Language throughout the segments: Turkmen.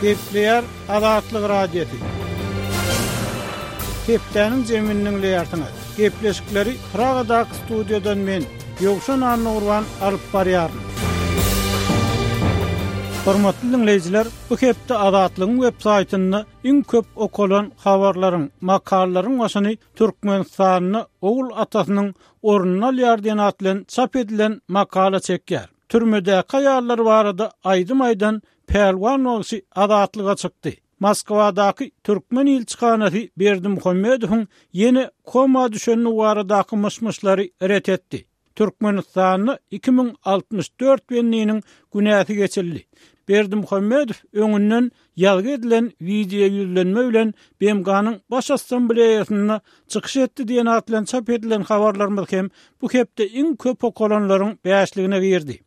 Gepleýär Azatlyk Radiosy. Hepdäniň jemini diňleýärsiňiz. Gepleşikleri Pragadaky studiýadan men, Ýowşan Annagurban alyp barýaryn. Hormatly diňleýjiler, bu hepde Azatlygyň web saýtynda iň köp okalan habarlaryň, makalalaryň başyny Türkmenistanda ogul atasynyň ornuny alýar diýen at bilen çap edilen makala çekýär. Türmedäki aýallar barada aýdym aýdan Pälwan bagşy azatlyga çykdy. Moskwadaky türkmen ilçihanasy Berdimuhamedowyň ýene koma düşendigi baradaky myş-myşlary ret etdi. Türkmenistanda 2064 bendiniň günäsi geçildi. Berdimuhamedow öňünden ýazgy edilen wideoýüzlenme bilen BMG-niň Baş Assambleýasynda çykyş etdi diýen at bilen çap edilen habarlarymyz hem bu hepde iň köp okalanlaryň bäşligine girdi.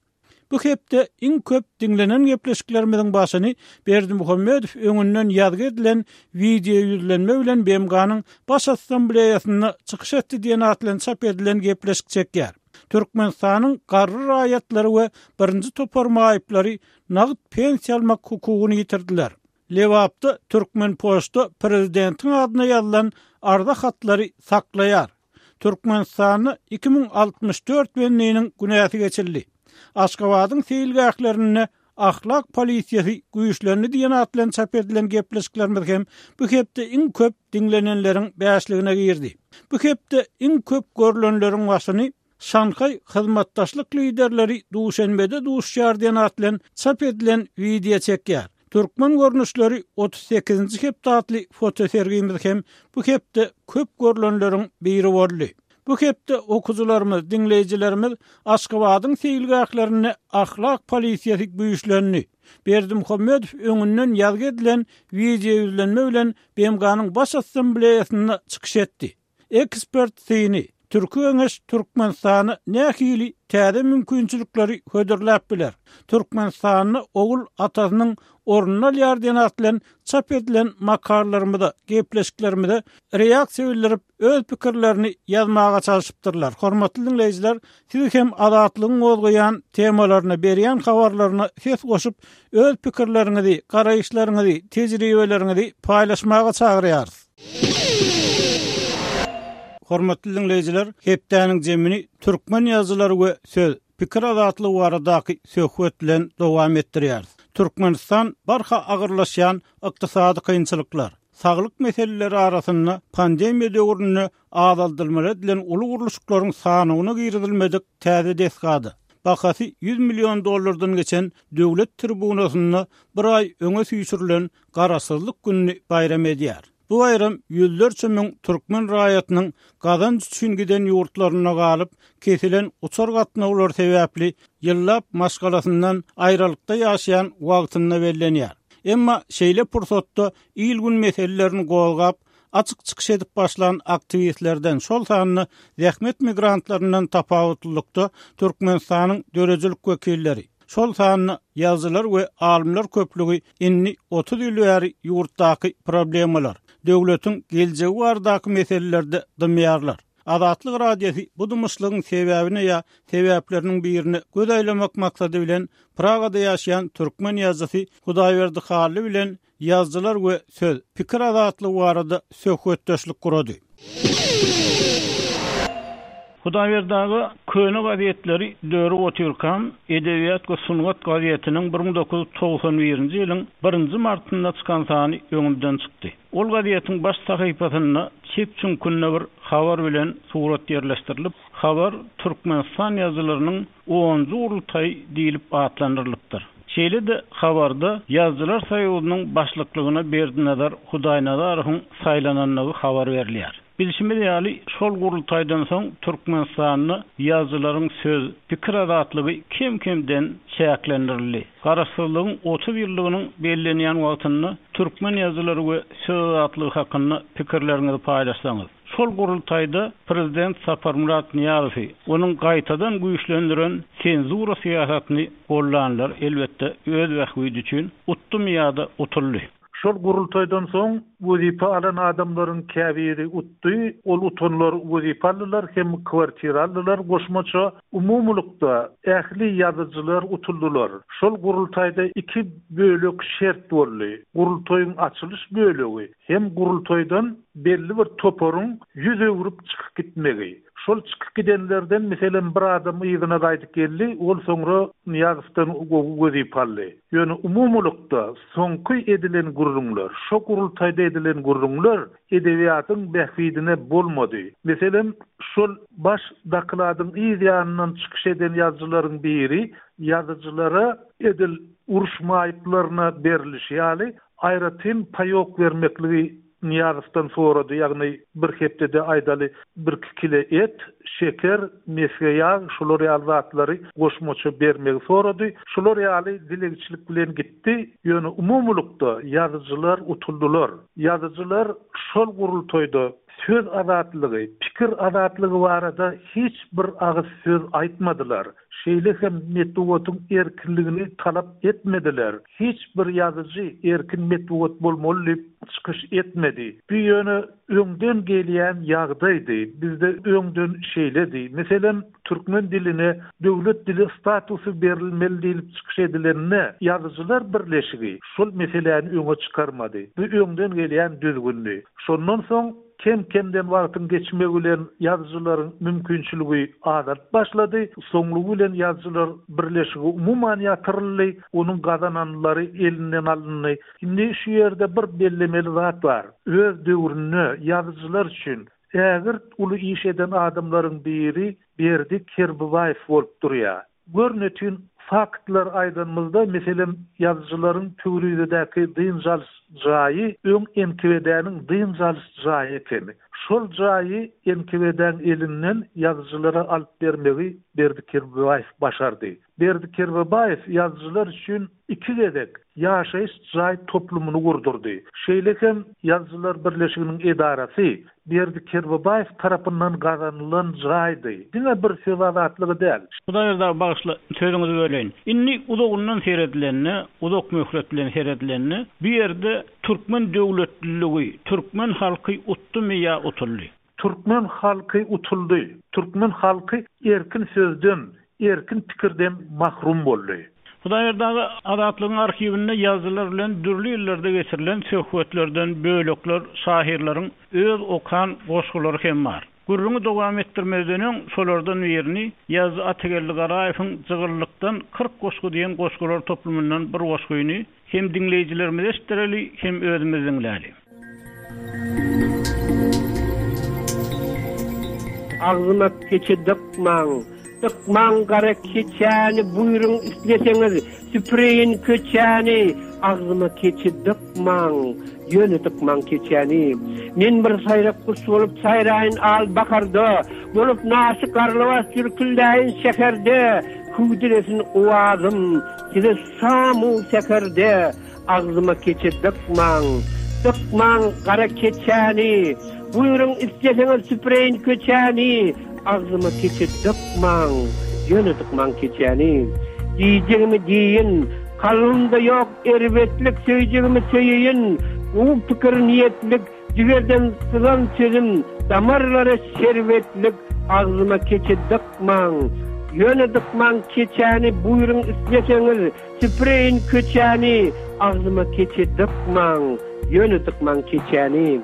Bu hepde iň köp diňlenen gepleşiklerimiziň başyny Berdimuhamedow öňünden ýazgy edilen wideoýüzlenme bilen BMG-niň Baş Assambleýasynda çykyş etdi diýen at bilen çap edilen gepleşik çekýär. Türkmenistanyň garry raýatlary we birinji topar maýyplary nagt pensiýa almak hukugyny ýitirdiler. Lebapda Türkmenpoçta prezidentiň adyna ýazylan arza hatlary saklaýar. Türkmenistanda 2064 bendiniň günäsi geçildi. Aşgabadyň seýilgählerinde ahlak polisiýasy güýçlendi diýen at bilen çap edilen gepleşiklerimiz hem bu hepde iň köp diňlenenleriň bäşligine girdi. Bu hepde iň köp görlenleriň başyny Şanhaý hyzmatdaşlyk liderleri Duşenbede duşuşýar diýen at bilen çap edilen wideo çekýär. Türkmen görnüşleri 38-nji hepde atly fotosergimiz hem bu hepde köp görlenleriň biri boldy. Bu hepde okyjylarymyz, diňleýjilerimiz Aşgabadyň seýilgählerinde ahlak polisiýasy güýçlendi. Berdimuhamedow öňünden ýazgy edilen wideoýüzlenme bilen BMG-niň Baş Assambleýasynda çykyş etdi. Ekspert syny, Türki Geňeş Türkmenistana nähili täze mümkinçilikleri hödürläp biler? Türkmenistanda ogul atasynyň ornuny alýar diýen at bilen çap edilen makalalarymyza, gepleşiklerimize reaksiýa bildirip, öz pikirlerini ýazmaga çalşypdyrlar. Hormatly diňleýjiler, siz hem Azatlygyň gozgaýan temalaryna, berýän habarlaryna ses goşup, öz pikirleriňizi, garaýyşlaryňyzy, tejribeleriňizi paýlaşmaga çagyrýarys. Hormatly diňleýjiler, hepdäniň jemini türkmen ýazyjylary we söz, pikir azatlygy baradaky söhbet bilen dowam etdirýäris. Türkmenistan barha agyrlaşýan ykdysady kynçylyklar, saglyk meseleleri arasynda pandemiýa döwründe azaldylmaly edilen uly gurluşyklaryň sanawyna girizilmedik täze desgada, bahasy 100 million dollardan geçen döwlet tribunasynda bir aý öňe süýşürilen Garaşsyzlyk gününi baýram edýär. Bu baýram ýüzlerçe müň türkmen raýatynyň gazanç üçin giden ýurtlarynda galyp, kesilen uçar gatnawlary sebäpli ýyllap maşgalasyndan aýralykda ýaşaýan wagtynda bellenýär. Emma şeýle pursatda il-gün meselelerini gozgap, açyk çykyş edip başlan aktiwistlerden, şol sanda zähmet migrantlaryndan tapawutlylykda Türkmenistanyň döredijilik wekilleri, şol sanda ýazyjylar we alymlar köplügi indi 30 ýyl bäri ýurtdaky problemalar, döwletiň geljegi baradaky meselelerde dymýarlar. Azatlyk Radiosy bu dymyşlygyň sebäbine ýa sebäpleriniň birine göz aýlamak maksady bilen Pragada ýaşaýan türkmen ýazyjysy Hudaýberdi Hally bilen Ýazyjylar we söz, pikir azatlygy barada söhbetdeşlik gurady. Hudaýberdi aga, köne gazetleri dörüp otyrkam, Edebiýat we sungat gazetiniň 1991-nji ýylyň birinji martynda çykan sany öňümden çykdy. Ol gazetiň baş sahypasynda çep çüňkünde bir habar bilen surat ýerleşdirilip, habar Türkmenistan ýazyjylarynyň Onunjy gurultaý diýlip atlandyrylypdyr. Şeýle-de habarda Ýazyjylar soýuzynyň başlyklygyna Berdinazar Hudaýnazarowyň saýlanandygy habar berilýär. Bilşimiz ýaly, şol gurultaýdan soň Türkmenistanda ýazyjylaryň söz, pikir azatlygy kem-kemden çäklendirildi. Garaşsyzlygyň 30 ýyllygynyň bellenýän wagtynda türkmen ýazyjylary we söz azatlygy hakynda pikirleriňizi paýlaşsaňyz. Şol gurultaýda prezident Saparmyrat Nyýazowy, onuň gaýtadan güýçlendiren senzura syýasatyny gollanlar, elbetde, öz bähbidi üçin utdumy ýa-da utuldy. Şol gurultaýdan soň wezipe alan adamlaryň käbiri utdy, ol utanlar wezipe aldylar hem kwartira aldylar goşmaça. Umumylykda ähli ýazyjylar utuldylar. Şol gurultaýda iki bölek şert boldy. Gurultaýyň açylyş bölegi hem gurultaýdan belli bir toparyň ýüz öwrüp çykyp gitmegi. Şol çykyp gidenlerden, meselem, bir adam yzyna gaýdyp geldi, ol soňra Nyýazowdan gowy wezipe aldy. Ýöne umumylykda soňky edilen gürrüňler, şo gurultaýda edilen gürrüňler edebiýatyň bähbidine bolmady. Meselem, şol baş dokladyň yz ýanyndan çykyş eden ýazyjylaryň biri ýazyjylara edil uruş maýyplaryna berilişi ýaly aýratyn paýok bermekligi Nyýazowdan sorady, ýagny bir hepdede aýdaly birki kile et, şeker, mesge ýag, şular ýaly zatlary goşmaça bermegi sorady. Şular ýaly dilegçilik bilen gitdi. Ýöne umumylykda ýazyjylar utuldylar. Ýazyjylar şol gurultaýda söz azatlygy, pikir azatlygy barada hiç bir agyz söz aýtmadylar. Şeýle hem metbugatyň erkinligini talap etmediler. Hiç bir ýazyjy erkin metbugat bolmaly diýip çykyş etmedi. Bu ýöne öňden gelýän ýagdaýdy. Bizde öňden şeýledi. Meselem, türkmen diline döwlet dili statusy berilmeli diýlip çykyş edilende, Ýazyjylar birleşigi şol meseläni öňe çykarmady. Bu öňden gelýän düzgündi. Şondan soň Kem-kemden wagtyň geçmegi bilen ýazyjylaryň mümkinçiligi azalyp başlady. Soňlugy bilen ýazyjylar birleşigi umuman ýatyryldy, onuň gazananlary elinden alyndy. Indi şu ýerde bir bellemeli zat bar. Öz döwründe ýazyjylar üçin ägirt uly iş eden adamlaryň biri Berdi Kerbabaýew bolup durýar. Görnetin faktlar aýdanymyzda, meselem, ýazyjylaryň Pöwrizedäki dynç alyş jaýy öň NKWD-niň dynç alyş jaýy ekeni. Şol jaýy NKWD-niň elinden ýazyjylara alyp bermegi Berdi Kerbabaýew başardy. Berdi Kerbabaýew ýazyjylar üçin iki gezek ýaşaýyş jaý toplumyny gurdurdy. Şeýle hem Ýazyjylar birleşiginiň edarasy Berdi Kerbabaýew tarapyndan gazanylan jaýdy. Diňe bir söz azatlygy däl. Hudaýberdi aga bagyşla sözüňizi böleýin. Indi uzagyndan seredilende, uzak möhlet bilen seredilende bu ýerde türkmen döwletliligi, türkmen halky utdumy ýa utuldy? Türkmen halky utuldy. Türkmen halky erkin sözden, erkin pikirden mahrum boldy. Hudaýberdi aga, Azatlygyň arhiwinde ýazyjylar bilen dürli ýyllarda geçirilen söhbetlerden bölekler, şahyrlaryň öz okan goşgulary hem bar. Gürrüňi dowam etdirmezden öň, şolardan birini, ýazyjy Atageldi Garaýewiň Jygyllykdan 40 goşgy diýen goşgular toplumyndan bir goşgyny Hem diňleýjilerimize eşitdireli, hem özümiz diňläli. Agzyma keçe dykmaň, dykmaň gara keçäni, Buýruň isleseňiz, süpüreýin köçäni. Agzyma keçe dykmaň, ýöne dykmaň keçäni. Men bir saýrak guş bolup saýraýyn al baharda, Bolup naşy garlawaç jürküldäýin şäherde. Hüwdülesin owazym size Şam-u säherde agzyma keçe dykmaň, Dykmaň gara keçäni, Buýruň isleseňiz süpüreýin köçäni, Agzyma keçe dykmaň, ýöne dykmaň keçäni. Diýjegimi diýin, kalbymda ýok erbetlik, Söýjegimi söýeýin, gowy pikir niýetlik, Jigerden syzan sözüm damarlara şerbetlik, Agzyma keçe dykmaň, ýöne dykmaň keçäni, Buýruň isleseňiz, süpüreýin köçäni, Agzyma keçe dykmaň, ýöne dykmaň keçäni.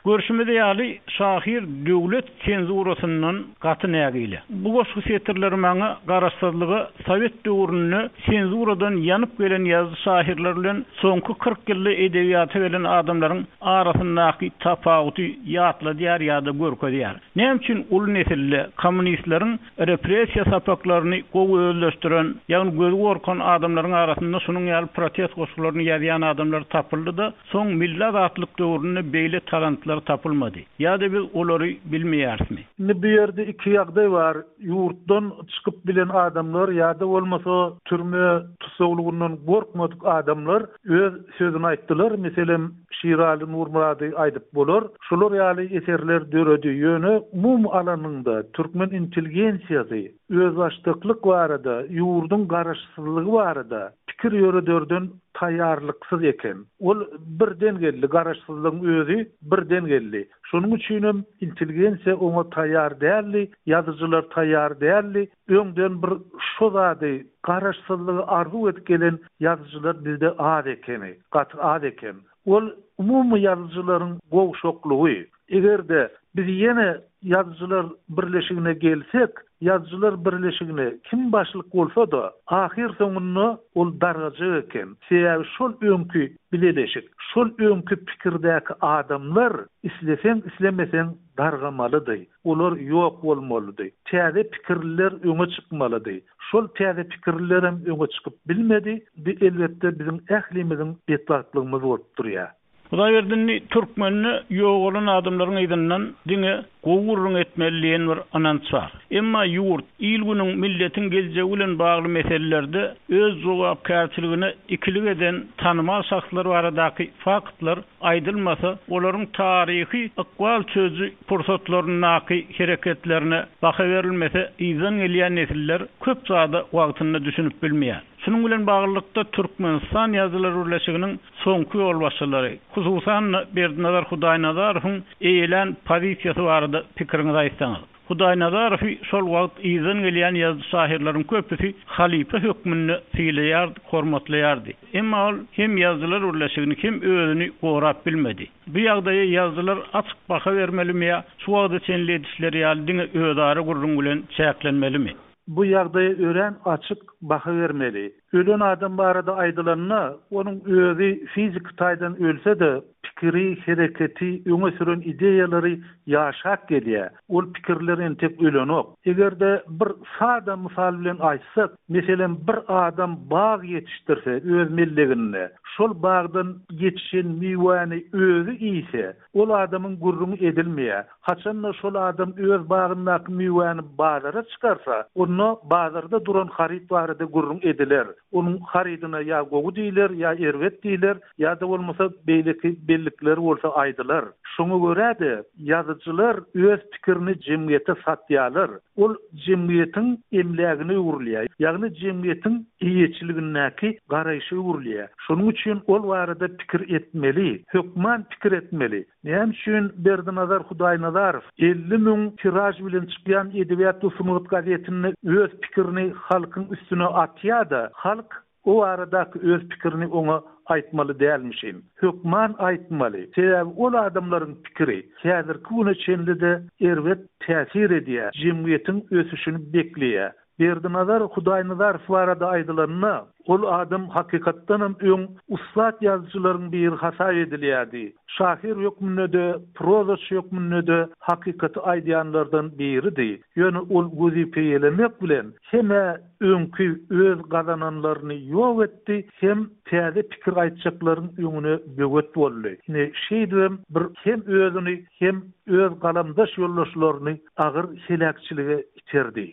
Görşümiz ýaly, şahyr döwlet senzurasyndan gaty nägile. Bu goşgy setirleri maňa garaşsyzlyga sowet döwründe senzuradan ýanyp gelen ýazyjy-şahyrlar bilen soňky 40 ýylda edebiýata gelen adamlaryň arasyndaky tapawuty ýatladýar ýa-da görkezýär. Näme üçin uly nesilde kommunistleriň repressiýa sapaklaryny gowy özleşdiren, ýagny gözi gorkan adamlaryň arasynda şunuň ýaly protest goşgularyny ýazýan adamlar tapyldy-da, Soň milli azatlyk döwründe beýle talantlar tapylmady. Ýa-da Ýa-da biz olary bilmeýärismi? Indi bu ýerde iki ýagdaý bar. Ýurtdan çykyp bilen adamlar ýa-da bolmasa türme tussaglygyndan gorkmadyk adamlar öz sözüni aýtdylar. Meselem, Şiraly Nurmyrady aýdyp bolar. Şular ýaly eserler döredi. Ýöne umumy alanyňda türkmen intelligensiýasy özbaşdaklyk barada, ýurduň garaşsyzlygy barada pikir ýörederden taýýarlyksyz eken. Ol birden geldi, garaşsyzlygyň özi birden geldi. Şonuň üçinem intelligensiýa oňa taýýar däldi, ýazyjylar taýýar däldi. Öňden bir şo zady, garaşsyzlygy arzuw edip gelen ýazyjylar bizde az ekeni, gaty az eken. Ol umumy ýazyjylaryň gowşaklygy. Eger-de biz ýene Ýazyjylar birleşigine gelsek, Ýazyjylar birleşigine kim başlyk bolsa-da, ahyr soňunda ol dargajak eken. Sebäbi şol öňki bileleşik, şol öňki pikirdäki adamlar isleseň-islemeseň dargamalydy. Olar ýok bolmalydy. Täze pikirliler öňe çykmalydy. Şol täze pikirlilerem öňe çykyp bilmedi. Bu elbetde biziň ählimiziň betbagtlygymyz bolup durýar. Hudaýberdi indi türkmende ýogalan adamlaryň yzyndan diňe gowy gürrüň etmeli diýen bir ynanç bar. Emma ýurt, il-günüň, milletiň geljegi bilen bagly meselelerde öz jogapkärçiligine ikilik eden tanymal şahslar baradaky faktlar aýdylmasa, olaryň taryhy ykbal çözüji pursatlaryndaky hereketlerine baha berilmese yzdan gelýän nesiller köp zada wagtynda düşünip bilmeýär. Şunuň bilen baglylykda Türkmenistan Ýazyjylar birleşiginiň soňky ýolbaşçylary, hususan-da, Berdinazar Hudaýnazarowyň eýelän pozisiýasy barada pikiriňizi aýtsaňyz. Hudaýnazarowy şol wagt yzdan gelýän ýazyjy-şahyrlaryň köpüsi halypa hökmünde sylaýardy, hormatlaýardy. Emma ol hem Ýazyjylar birleşigini, hem özüni gorap bilmedi. Bu ýagdaýa ýazyjylar açyk baha bermelimi ýa şu wagta çenli edişleri ýaly diňe özara gürrüň bilen çäklenmelimi? Bu ýagdaýa örän açyk baha bermeli. Ölen adam barada aýdylanda, onuň özi fiziki taýdan ölse-de, pikiri, hereketi, öňe süren ideýalary ýaşap gelýär. Ol pikirler entek ölenok. Eger-de bir sada mysal bilen aýtsak, meselem, bir adam bag ýetişdirse öz melleginde, şol bagdan ýetişen miwäni özi iýse, ol adamyň gürrüňi edilmeýär. Haçan-da şol adam öz bagyndaky miwäni bazara çykarsa, onda bazarda duran haryt barada gürrüň ediler. Onuň harydyna ýa gowy diýler, ýa erbet diýler, ýa-da bolmasa beýleki bellikler bolsa aýdylar. Şoňa görä-de, ýazyjylar öz pikirini jemgyýete satýarlar. Ol jemgyýetiň emlägine öwrülýär, ýagny jemgyýetiň eýeçiligindäki garaýşa öwrülýär. Şonuň üçin ol barada pikir etmeli, hökman pikir etmeli. Näme üçin Berdinazar Hudaýnazarow 50 müň tiraž bilen çykýan Edebiýat we sungat gazetinde öz pikirini halkyň üstüne atýa-da, halk o baradaky öz pikirini oňa aýtmaly dälmişin? Hökman aýtmaly. Sebäbi ol adamlaryň pikiri häzirki güne çenli-de erbet täsir edýär, jemgyýetiň ösüşini bekleýär. Berdinazar Hudaýnazarow barada aýdylanda, ol adam hakykatdanam öň ussat ýazyjylaryň biri hasap edilýärdi. Şahyr hökmünde-de, prozaçy hökmünde-de hakykaty aýdýanlardan biridi. Ýöne ol wezipe eýelemek bilen hem-ä öňki öz gazananlaryny ýok etdi, hem täze pikir aýtjaklaryň öňüne böwet boldy. Ine, şeýdibem bir hem özüni, hem öz galamdaş ýoldaşlaryny agyr heläkçilige iterdi.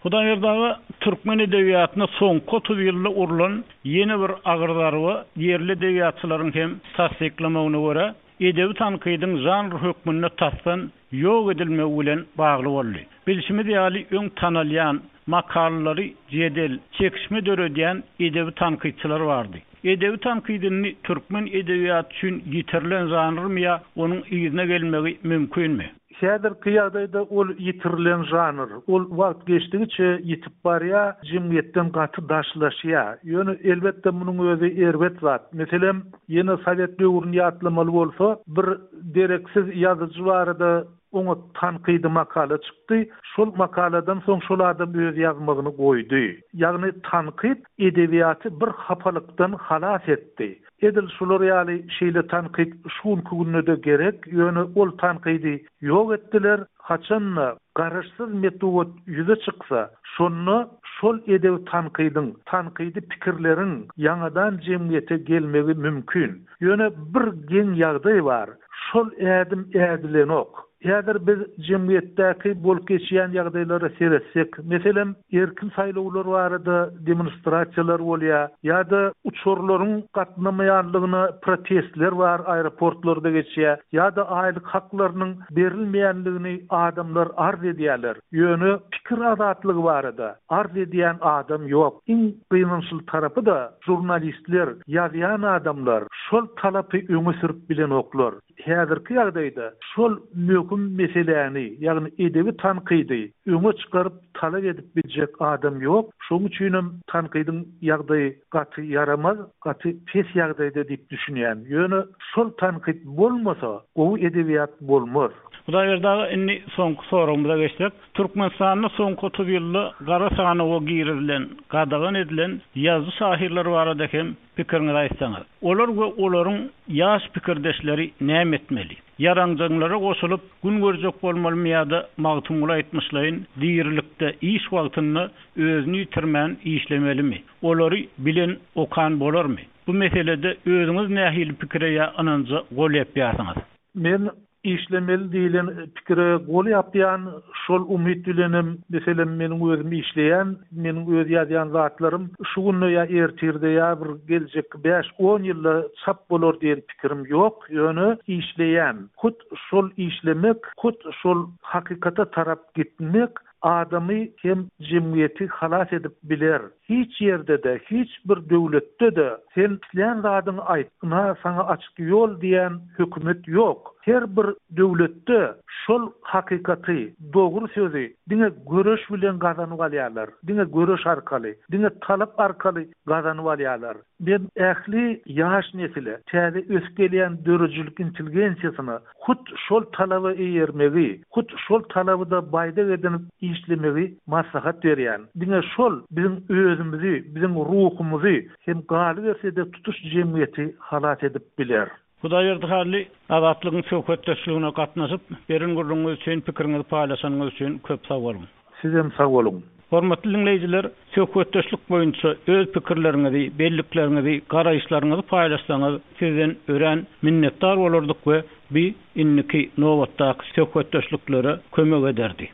Hudaýberdi aga, türkmen edebiýatyna soňky 30 ýylda urlan ýene bir agyr zarba, ýerli edebiýatçylaryň hem tassyklamagyna görä, edebi tankydyň žanr hökmünde tasdan ýok edilmegi bilen bagly boldy. Bilşimiz ýaly, öň tanalýan, makalalary jedel, çekişme döredýän edebi tankytçylar bardy. Edebi tankyt indi türkmen edebiýaty üçin ýitirilen žanrmy ýa onuň yzyna gelmegi mümkinmi? Häzirki ýagdaýda ol ýitirilen žanr. Ol wagt geçdigiçe ýitip barýar, jemgyýetden gaty daşlaşýar. Ýöne, elbetde, munuň özi erbet zat. Meselem, ýene sowet döwrüni ýatlamaly bolsa, bir dereksiz ýazyjy barada oňat tankydy makala çykdy. Şol makaladan soň şol adam öz ýazmagyny goýdy. Ýagny tankyt edebiýaty bir hapalykdan halas etdi. Edil şular ýaly şeýle tankyt şu günki günde-de gerek, ýöne ol tankydy ýok etdiler, haçan-da garaşsyz metbugat ýüze çyksa, şonda şol edebi tankydyň, tankydy pikirleriň ýaňadan jemgyýete gelmegi mümkin. Ýöne bir geň ýagdaý bar, şol ädim ädilenok. Häzir biz jemgyýetdäki bolup geçýän ýagdaýlara seretsek, meselem, erkin saýlawlar barada demonstrasiýalar bolýar ýa-da uçarlaryň gatnamaýanlygyna protestler bar aeroportlarda geçýär ýa-da aýlyk haklarynyň berilmeýänligini adamlar arz edýärler. Ýöne pikir azatlygy barada arz edýän adam ýok. Iň gynançly tarapy-da žurnalistler, ýazýan adamlar şol talapy öňe sürüp bilenoklar. Häzirki ýagdaýda şol möhüm meseläni, ýagny edebi tankydy öňe çykaryp talap edip biljek adam ýok. Şonuň üçinem tankydyň ýagdaýy gaty ýaramaz, gaty pes ýagdaýda diýip düşünýän. Ýöne şol tankyt bolmasa, gowy edebiýat bolmaz. Hudaýberdi aga, indi soňky soragymyza geçsek. Türkmenistanda soňky 30 ýylda gara sanawa girizilen, gadagan edilen ýazyjy-şahyrlar barada hem Pikiriňizi aýtsaňyz. Olar we olaryň ýaş pikirdeşleri näme etmeli? Ýaranjaňlara goşulyp, gün görjek bolmalymy ýa-da Magtymguly aýtmyşlaýyn, dirilikde, iş wagtynda özüni ýitirmän işlemelimi? Olary bilen, okan bolarmy? Bu meselede özüňiz nähili pikire ýa ynanja gol ýapýarsyňyz? Men Işlemeli diýlen pikire gol ýapýan, şol umyt bilenem, meselem, meniň özüm işleýän, meniň öz ýazýan zatlarym şu günde ýa ertirde ýa bir geljekki bäş-on ýylda çap bolar diýen pikirim ýok, ýöne işleýän. Hut şol işlemek, hut şol hakykata tarap gitmek adamy hem jemgyýeti halas edip biler. Hiç ýerde-de, hiç bir döwletde-de sen islän zadyňy aýt, ynha saňa açyk ýol diýen hökümet ýok. Her bir döwletde şol hakykaty, dogry sözi diňe göreş bilen gazanyp alýarlar. Diňe göreş arkaly, diňe talap arkaly gazanyp alýarlar. Men ähli ýaş nesile, täze ösüp gelýän döredijilik intelligensiýasyna hut şol talaba eýermegi, hut şol talaby-da baýdak edinip işlemegi maslahat berýän. Diňe şol biziň özümizi, biziň ruhumyzy hem galyberse-de tutuş jemgyýeti halas edip biler. Hudaýberdi Hally, Azatlygyň söhbetdeşligine gatnaşyp, beren gürrüňiňiz üçin, pikiriňizi paýlaşanyňyz üçin köp sag boluň. Sizem sag boluň. Hormatly diňleýjiler, söhbetdeşlik boýunça öz pikirleriňizi, bellikleriňizi, garaýyşlaryňyzy paýlaşsaňyz, sizden örän minnetdar bolardyk we bi indiki nobatdaky söhbetdeşliklere kömek ederdi.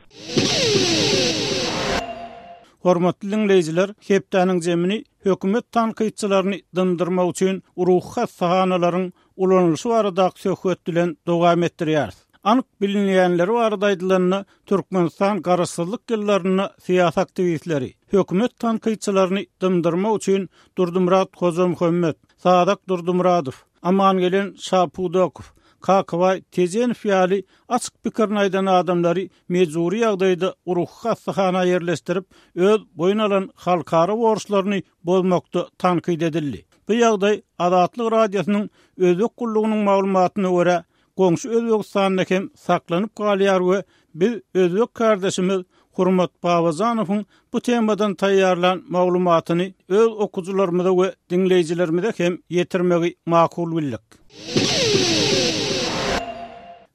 Hormatly diňleýjiler, hepdäniň jemini hökümet tankytçylaryny dymdyrmak üçin ruhy hassahanalaryň ulanylyşy baradaky söhbet bilen dowam etdirýäris. Anyk bilinýänleri barada aýdylanda, Türkmenistan garaşsyzlyk ýyllarynda syýasy aktiwistleri, hökümet tankytçylaryny dymdyrmak üçin Durdymyrat Hojamuhammet, Sazak Durdymyradow, Amangelen Şapudakow, Kakabaý Tejenow ýaly açyk pikirini aýdan adamlary mejbury ýagdaýda ruhy hassahana ýerleşdirip, öz boýun alan halkara borçlaryny bozmakda tankyt edildi. Bu ýagdaý Azatlyk Radiosynyň Özbek gullugynyň maglumatyna görä, goňşy Özbegistanda hem saklanyp galýar we biz özbek kärdeşimiz Hurmat Babajanowyň bu temadan taýýarlan maglumatyny öz okyjylarymyza we diňleýjilerimize hem ýetirmegi makul bildik.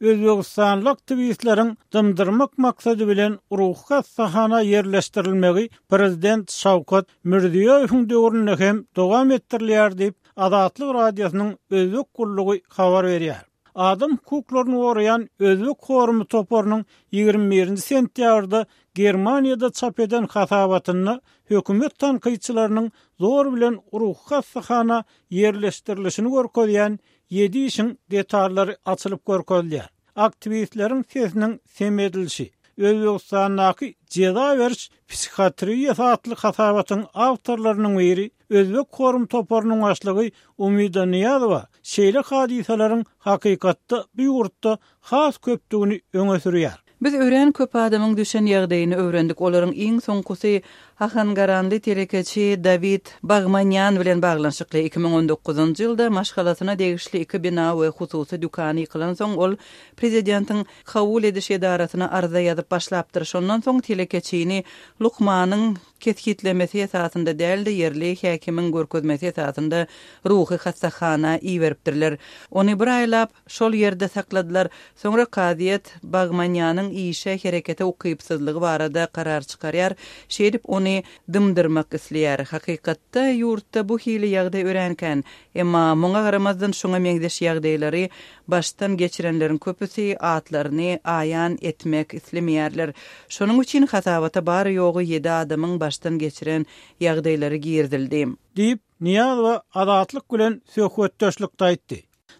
Özbegistanly aktiwistleriň dymdyrmak maksady bilen ruhy hassahana ýerleşdirilmegi prezident Şawkat Mirziýoýewiň döwründe hem dowam etdirilýär diýip, Azatlyk Radiosynyň Özbek gullugy habar berýär. Adam hukuklaryny goraýan Özbek forumy toparynyň 21-nji sentýabrda Germaniýada çap eden hasabatynda hökümet tankytçylarynyň zor bilen ruhy hassahana ýerleşdirilişini görkezýän ýedi işiň detallary açylyp görkezilýär. Aktiwistleriň sesiniň sem edilişi, Özbegistandaky jeza beriş psihiatriýasy atly hasabatyň awtorlarynyň biri, Özbek forum toparynyň başlygy Umida Nyýazowa şeýle hadysalaryň hakykatda bu ýurtda has köpdügini öňe sürýär. Biz örän köp adamyň düşen ýagdaýyny öwrendik, olaryň iň soňkusy ahangaranly telekeçi Dawid Bagmanýan bilen baglanyşykly. 2019-njy ýylda maşgalasyna degişli iki bina we hususy dükany ýykylansoň, ol prezidentiň kabul ediş edarasyna arza ýazyp başlapdyr. Şondan soň telekeçini lukmanyň kesgitlemesi esasynda däl-de, ýerli häkimiň görkezmesi esasynda ruhy hassahana iberipdirler. Ony bir aýlap Şol ýerde sakladylar. Soňra kazyýet Bagmanýanyň işe, herekete ukypsyzlygy barada karar çykarýar. Şeýdip, ony. ony dymdyrmak isleýär. Hakykatda, ýurtda bu hili ýagdaý örän kän. Emma muňa garamazdan şuňa meňzeş ýagdaýlary başdan geçirenleriň köpüsi atlaryny aýan etmek islemeýärler. Şonuň üçin hasabata bary-ýogy ýedi adamyň başdan geçiren ýagdaýlary girizildi. Diýip, Nyýazowa Azatlyk bilen söhbetdeşlikde aýtdy.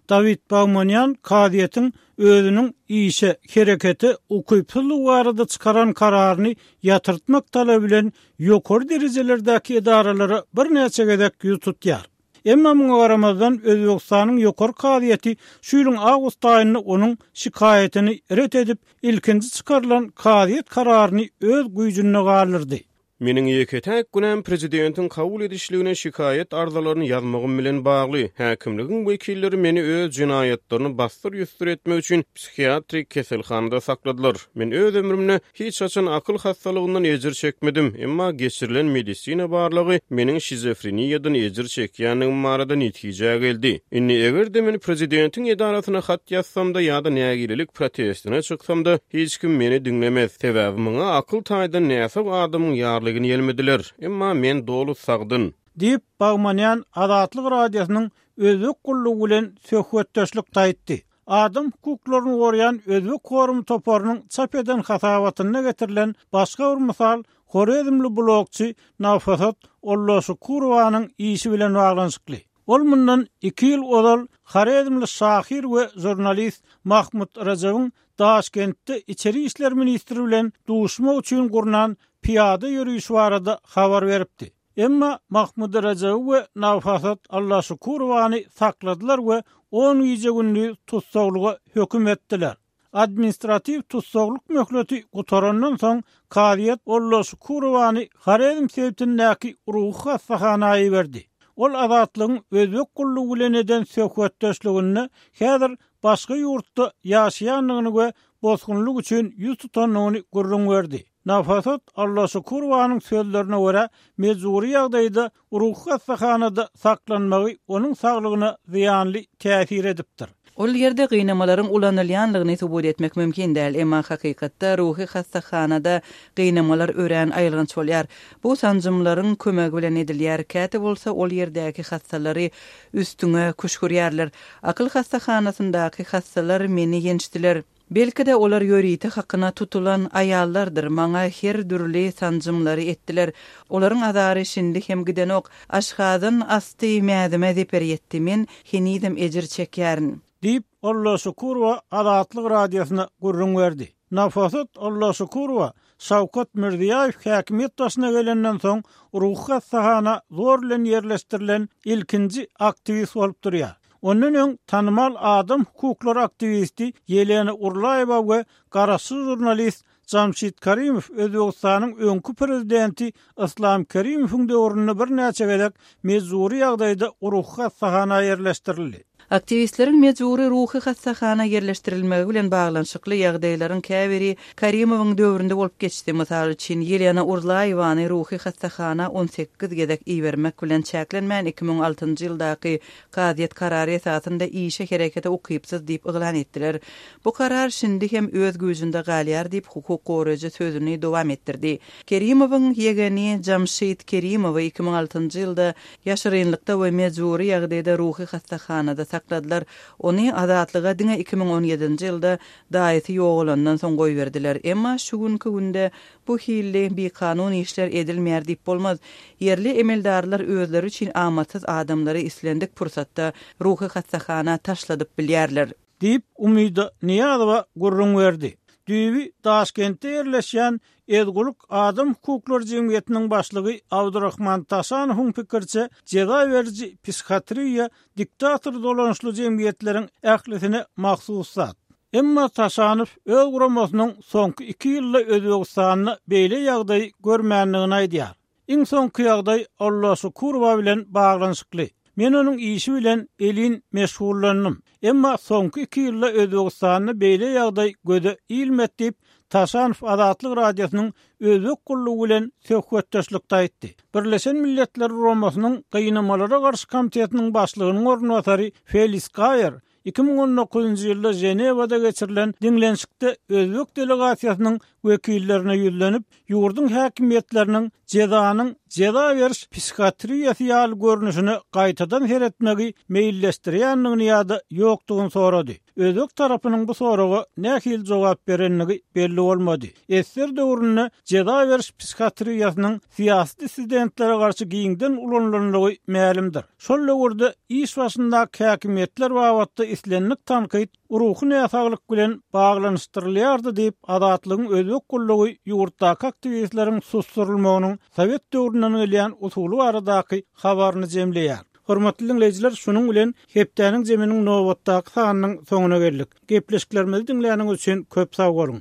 Dawid Bagmanýan kazyýetiň özüniň işe, herekete ukypsyzlygy barada çykaran kararyny ýatyrtmak talaby bilen ýokary derejelerdäki edaralara birnäçe gezek ýüz tutýar. Emma muňa garamazdan, Özbegistanyň Ýokary kazyýeti şu ýylyň awgust aýynda onuň şikaýatyny ret edip, ilkinji çykarylan kazyýet kararyny öz güýjünde galdyrdy. Meniň ýeke-täk günäm prezidentiň kabul edişligine şikaýat arzalaryny ýazmagym bilen bagly. Häkimligiň wekilleri meni öz jenaýatlaryny bassyr-ýüsdür etmek üçin psihiatrik keselhanada sakladylar. Men öz ömrümde Hiç haçan akyl hassalygyndan ejir çekmedim, emma geçirilen medisina barlagy meniň şizofreniýadan ejir çekýändigim barada netijä geldi. Indi eger-de men prezidentiň edarasyna hat ýazsam-da ýa-da nägilelik protestine çyksam-da, hiç kim meni diňlemez, sebäbi muňa akyl taýdan näsag adamyň ýarlygyny ýelmediler. Emma men doly sagdyn. Diýip, Bagmanýan Azatlyk Radiosynyň Özbek gullugy bilen söhbetdeşlikde aýtdy. Adam hukuklaryny goraýan Özbek forumy toparynyň çap eden hasabatynda getirilen başga bir mysal horezmli blogçy Nafosat Olloşukurowanyň işi bilen baglanyşykly. Ol mundan iki ýyl ozal horezmli şahyr we žurnalist Mahmut Rajabyň Daşkentde içeri işler ministri bilen duşmak üçin gurnan pyýada ýörişi barada habar beripdi. Emma Mahmud Rejebi we Nafasat Allaşukurowany sakladylar we on gije-gündiz tussaglyga höküm etdiler. Administratiw tussaglyk möhleti gutarandan soň, kazyýet Ollaşukurowany Horezm sebitindäki ruhy hassahana iberdi. Ol Azatlygyň Özbek gullugy bilen eden söhbetdeşliginde häzir başga ýurtda ýaşaýandygyny we bosgunlyk üçin ýüz tutandygyny gürrüň berdi. Nafasat Allaşukurowanyň sözlerine görä, mejbury ýagdaýda ruhy hassahanada saklanmagy onuň saglygyna zyýanly täsir edipdir. Ol ýerde gynamalaryň ulanylýanlygyny subut etmek mümkin däl, emma hakykatda ruhy hassahanada gynamalar örän aýylganç bolýar. Bu sanjymlaryň kömegi bilen edilýär, käte bolsa ol ýerdäki hassalary üstüňe küşgürýärler. Akyl hassahanasyndaky hassalar meni ýençdiler. Belki-de, olar ýörite hakyna tutulan aýallardyr, maňa her dürli sanjymlary etdiler. Olaryň azary şindi hem gidenok. Aşgazan asty mäzime zeper ýetdi. Men henizem ejir çekýärin. Diýip, Allaşukurowa Azatlyk Radiosyna gürrüň berdi. Nafosat Allaşukurowa Şawkat Mirziýaýew häkimiýet başyna gelenden soň ruhy hassahana zor bilen ýerleşdirilen ilkinji aktiwist bolup durýar. Ondan öň tanymal adam hukuklary aktiwisti Ýelena Urlaýewa we garaşsyz žurnalist Jamşid Karimow Özbegistanyň öňki prezidenti Yslam Kerimowyň döwründe birnäçe gezek mejbury ýagdaýda ruhy hassahana ýerleşdirildi. Aktiwistleriň mejbury ruhy hassahana ýerleşdirilmegi bilen baglanyşykly ýagdaýlaryň käbiri Karimowyň döwründe bolup geçdi. Mysal üçin, Ýelena Urlaýewany ruhy hassahana 18 gezek ibermek bilen çäklenmän, 2006-njy ýyldaky kazyýet karary esasynda işe herekete ukypsyz diýip yglan etdiler. Bu karar şindi hem öz güýjünde galýar diýip, hukuk goraýjy sözüni dowam etdirdi. Kerimowyň ýegeni Jamşid Kerimowy 2006-njy ýylda Ýaşyrynlykda we mejbury ýagdaýda ruhy hassahanada sakladylar. Ony azatlyga diňe 2017-nji ýylda daýysy ýogalandan soň goýberdiler. Emma şu günki günde bu hilli bikanun işler edilmeýär diýip bolmaz. Ýerli emeldarlar özleri üçin amatsyz adamlary islendik pursatda ruhy hassahana taşladyp bilýärler. Diýip, Umyda Nyýazowa gürrüň berdi. Düýbi Daşkentde ýerleşýän Ezgulyk adam hukuklary jemgyýetiniň başlygy Abdurahman Taşanowyň pikiriçe, jeza beriji psihiatriýa diktator dolanyşly jemgyýetleriň ählisine mahsus zat. Emma Taşanow öz guramasynyň soňky iki ýylda Özbegistanda beýle ýagdaýy görmändigini aýdýar. Iň soňky ýagdaý Allaşukurowa bilen baglanyşykly. Men onuň işi bilen elin meşgullandym. Emma soňky iki ýylda Özbegistanda beýle ýagdaý göze ilmedi diýip, Taşanow Azatlyk Radiosynyň Özbek gullugy bilen söhbetdeşlikde aýtdy. Birleşen Milletler Guramasynyň Gynamalara garşy komitetiniň başlygynyň orunbasary Felis Gaýer. 2019-njy ýylda Ženewada geçirilen diňlenişikde özbek delegasiýasynyň wekillerine ýüzlenip, ýurduň häkimiýetleriniň jezanyň jeza beriş psihiatriýasy ýaly görnüşine gaýtadan seretmegi meýilleşdirýändigini ýa-da ýokdugyny sorady. Özbek tarapynyň bu soraga nähili jogap berendigi belli bolmady. Ssr döwründe jeza beriş psihiatriýasynyň syýasy dissidentlere garşy giňden ulanylandygy mälimdir. Şol döwürde iş başyndaky häkimiýetler babatda islendik tankyt ruhy näsaglyk bilen baglanyşdyrylýardy diýip, Azatlygyň özbek gullugy ýurtdaky aktiwistleriň susdurylmagynyň sowet döwründen gelýän usuly baradaky habaryny jemleýär. Hormatly diňleýjiler, şunuň bilen hepdäniň zeminiň nobatdaky sanynyň soňuna geldik. Gepleşiklerimizi diňläniňiz üçin köp sag boluň!